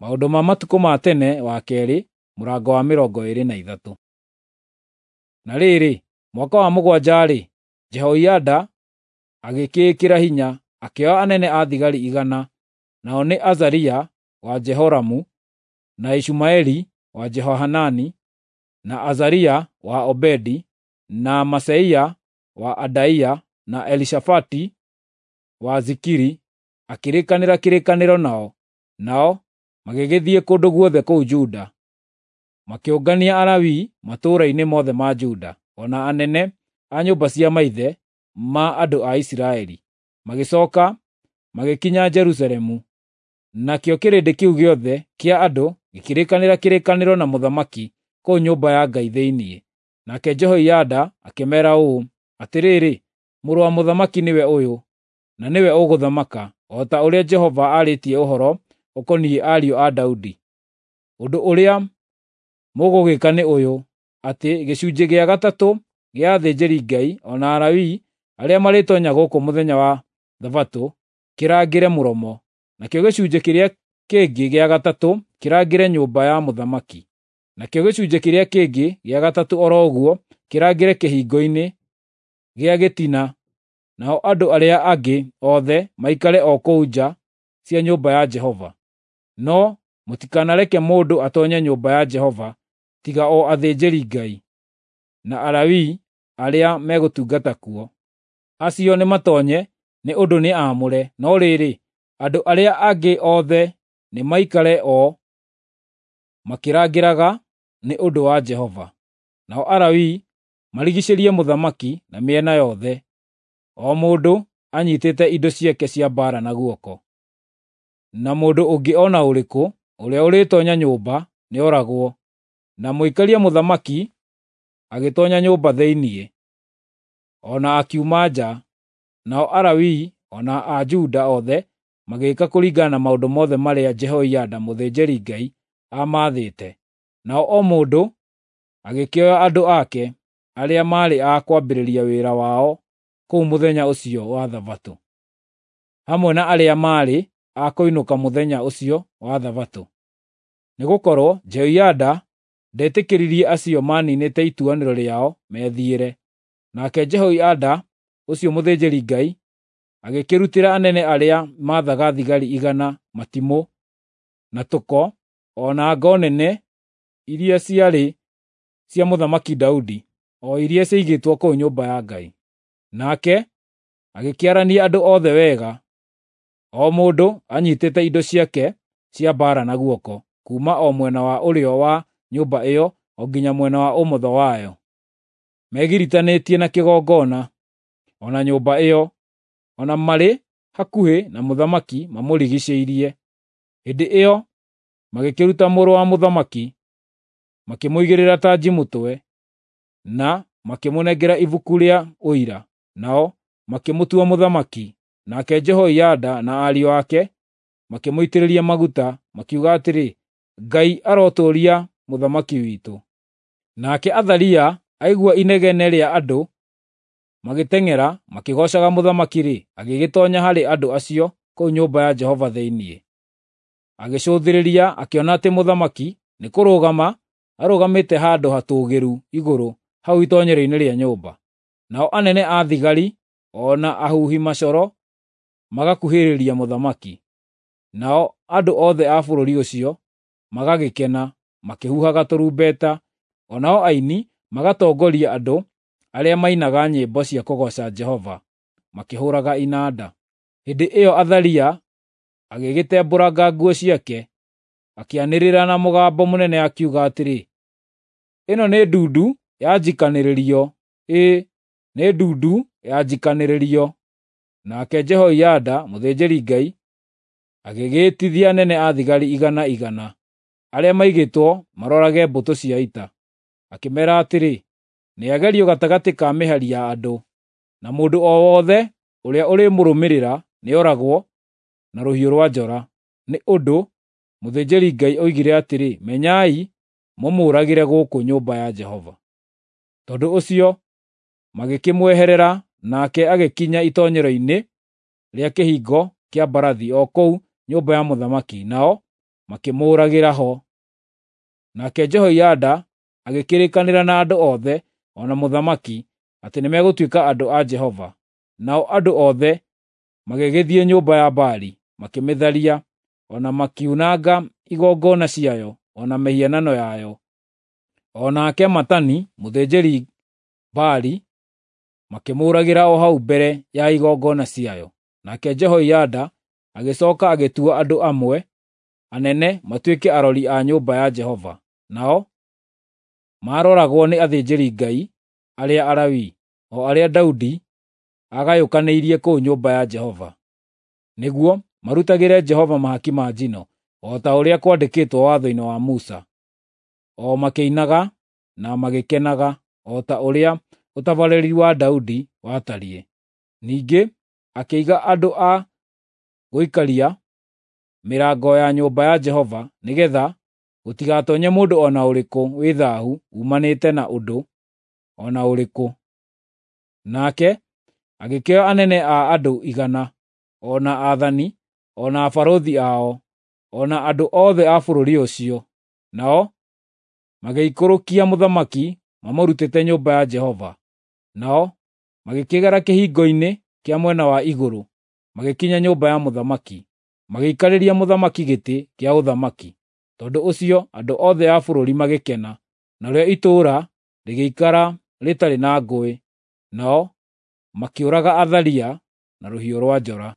Maũndũ ma matukũ ma tene wa kerĩ mũrango wa 23. Na rĩrĩ, mwaka wa 7-rĩ, Jehoiada agĩkĩĩkĩra hinya, akĩoya anene a thigari 100, nao nĩ Azaria wa Jehoramu, na Ishumaeli wa Jehohanani, na Azaria wa Obedi, na Maseia wa Adaia, na Elishafati wa Zikiri, akĩrĩkanĩra kĩrĩkanĩro nao, nao magĩgĩthiĩ kũndũ guothe kũu Juda. Makĩũngania Alawii matũũra-inĩ mothe ma Juda, o na anene a nyũmba cia maithe ma andũ a Isiraeli. Magĩcooka magĩkinya Jerusalemu. Nakĩo kĩrĩndĩ kĩu gĩothe kĩa andũ gĩkĩrĩkanĩra kĩrĩkanĩro na mũthamaki kũu nyũmba ya Ngai thĩinĩ. Nake Jehoiada akĩmeera ũũ, “Atĩrĩrĩ, mũrũ wa mũthamaki nĩwe ũyũ, na nĩwe ũgũthamaka, o ta ũrĩa Jehova aarĩtie ũhoro ũkoniĩ ariũ a Daudi. Ũndũ ũrĩa mũgũgĩka nĩ ũyũ, atĩ gĩcunjĩ gĩa gatatũ gĩa athĩnjĩri-Ngai o na Alawii arĩa marĩtoonya gũkũ mũthenya wa Thabatũ kĩrangĩre mũromo, nakĩo gĩcunjĩ kĩrĩa kĩngĩ gĩa gatatũ kĩrangĩre nyũmba ya mũthamaki, nakĩo gĩcunjĩ kĩrĩa kĩngĩ gĩa gatatũ o ro ũguo kĩrangĩre kĩhingo-inĩ gĩa gĩtina, nao andũ arĩa angĩ othe maikare o kũu nja cia nyũmba ya Jehova. No mũtikanareke mũndũ atoonye nyũmba ya Jehova tiga o athĩnjĩri-Ngai na Alawii arĩa megũtungata kuo. Acio nĩmatoonye nĩ ũndũ nĩ aamũre, no rĩrĩ, andũ arĩa angĩ othe nĩmaikare o makĩrangĩraga nĩ ũndũ wa Jehova. Nao Alawii marigiicĩrie mũthamaki na mĩena yothe, o mũndũ anyiitĩte indo ciake cia mbaara na guoko. Na mũndũ ũngĩ o na ũrĩkũ ũrĩa ũrĩtoonya nyũmba nĩoragwo. Na mũikaria mũthamaki agĩtoonya nyũmba thĩinĩ, o na akiuma nja. Nao Alawii o na a Juda othe magĩĩka kũringana na maũndũ mothe marĩa Jehoiada mũthĩnjĩri-Ngai aamaathĩte. Nao o mũndũ agĩkĩoya andũ ake arĩa maarĩ a kwambĩrĩria wĩra wao kũu mũthenya ũcio wa Thabatũ, hamwe na arĩa maarĩ a kũinũka mũthenya ũcio wa Thabatũ. Nĩgũkorwo Jehoiada ndetĩkĩririe acio maaniinĩte ituanĩro rĩao methiĩre. Nake Jehoiada ũcio mũthĩnjĩri-Ngai agĩkĩrutĩra anene arĩa maathaga thigari 100 matimũ, na tũko, o na ngo nene iria ciarĩ cia Mũthamaki Daudi, o iria ciaigĩtwo kũu nyũmba ya Ngai. Nake agĩkĩarania andũ othe wega, o mũndũ anyiitĩte indo ciake cia mbaara na guoko, kuuma o mwena wa ũrĩo wa nyũmba ĩyo o nginya mwena wa ũmotho wayo, megiritanĩtie na kĩgongona, o na nyũmba ĩyo, o na marĩ hakuhĩ na mũthamaki mamũrigiicĩirie. Hĩndĩ ĩyo magĩkĩruta mũrũ wa mũthamaki, makĩmũigĩrĩra tanji mũtwe, na makĩmũnengera ibuku rĩa ũira, nao makĩmũtua mũthamaki. Nake Jehoiada na ariũ ake makĩmũitĩrĩria maguta, makiuga atĩrĩ, “Ngai arotũũria mũthamaki witũ.” Nake Athalia aigua inegene rĩa andũ magĩteng'era makĩgoocaga mũthamaki-rĩ, agĩgĩtoonya harĩ andũ acio kũu nyũmba ya Jehova thĩinĩ. Agĩcũthĩrĩria akĩona atĩ mũthamaki nĩkũrũgama arũgamĩte handũ hatũũgĩru igũrũ hau itoonyero-inĩ rĩa nyũmba. Nao anene a thigari o na ahuhi macoro magakuhĩrĩria mũthamaki. Nao andũ othe a bũrũri ũcio magagĩkena, makĩhuhaga tũrumbeta, o nao aini magatongoria andũ arĩa mainaga nyĩmbo cia kũgooca Jehova, makĩhũũraga inanda. Hĩndĩ ĩyo Athalia agĩgĩtembũranga nguo ciake, akĩanĩrĩra na mũgambo mũnene akiuga atĩrĩ, “Ĩno nĩ ndundu ya njikanĩrĩrio! Ĩĩ, nĩ ndundu ya njikanĩrĩrio!” Nake Jehoiada mũthĩnjĩri-Ngai agĩgĩĩtithia anene a thigari 100 arĩa maigĩtwo marorage mbũtũ cia ita, akĩmeera atĩrĩ, “Nĩagerio gatagatĩ ka mĩhari ya andũ, na mũndũ o wothe ũrĩa ũrĩmũrũmĩrĩra nĩoragwo na rũhiũ rwa njora.” Nĩ ũndũ mũthĩnjĩri-Ngai oigire atĩrĩ, “Menyai mũmũũragĩre gũkũ nyũmba ya Jehova.” Tondũ ũcio magĩkĩmweherera, nake agĩkinya itoonyero-inĩ rĩa kĩhingo kĩa mbarathi o kũu nyũmba ya mũthamaki, nao makĩmũũragĩra ho. Nake Jehoiada agĩkĩrĩkanĩra na andũ othe o na mũthamaki atĩ nĩmegũtuĩka andũ a Jehova. Nao andũ othe magĩgĩthiĩ nyũmba ya Baali, makĩmĩtharia, o na makiunanga igongona ciayo o na mĩhianano yayo. O nake Matani mũthĩnjĩri-Baali makĩmũũragĩra o hau mbere ya igongona ciayo. Nake Jehoiada agĩcooka agĩtua andũ amwe anene matuĩke arori a nyũmba ya Jehova, nao maaroragwo nĩ athĩnjĩri-Ngai arĩa Alawii, o arĩa Daudi aagayũkanĩirie kũu nyũmba ya Jehova, nĩguo marutagĩre Jehova mahaki ma njino, o ta ũrĩa kwandĩkĩtwo watho-inĩ wa Musa, o makĩinaga na magĩkenaga, o ta ũrĩa ũtabarĩri wa Daudi watariĩ. Ningĩ akĩiga andũ a gũikaria mĩrango ya nyũmba ya Jehova nĩgeetha gũtigatoonye mũndũ o na ũrĩkũ wĩ thaahu uumanĩte na ũndũ o na ũrĩkũ. Nake agĩkĩoya anene a andũ 100, o na aathani, o na abarũthi ao, o na andũ othe a bũrũri ũcio, nao magĩikũrũkia mũthamaki mamũrutĩte nyũmba ya Jehova. Nao magĩkĩgera kĩhingo-inĩ kĩa mwena wa igũrũ, magĩkinya nyũmba ya mũthamaki, magĩikarĩria mũthamaki gĩtĩ kĩa ũthamaki. Tondũ ũcio andũ othe a bũrũri magĩkena, narĩo itũũra rĩgĩikara rĩtarĩ na ngũĩ. Nao makĩũraga Athalia na rũhiũ rwa njora.